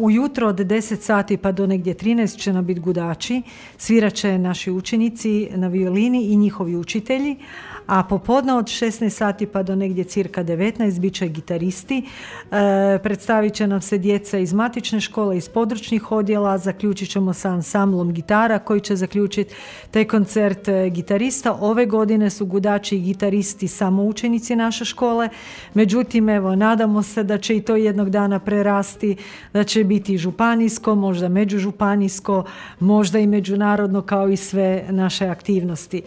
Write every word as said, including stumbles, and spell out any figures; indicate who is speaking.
Speaker 1: ujutro od deset sati pa do negdje trinaest će nam biti gudači, svirat će naši učenici na violini i njihovi učitelji, a popodne od šesnaest sati pa do negdje cirka devetnaest bit će gitaristi. E, predstavit će nam se djeca iz matične škole, iz područnih odjela, zaključit ćemo sa ansamblom gitara koji će zaključiti taj koncert gitarista. Ove godine su gudači i gitaristi samo učenici naše škole, međutim, evo, nadamo se da će i to jednog dana prerasti, da će biti županijsko, možda međužupanijsko, možda i međunarodno kao i sve naše aktivnosti.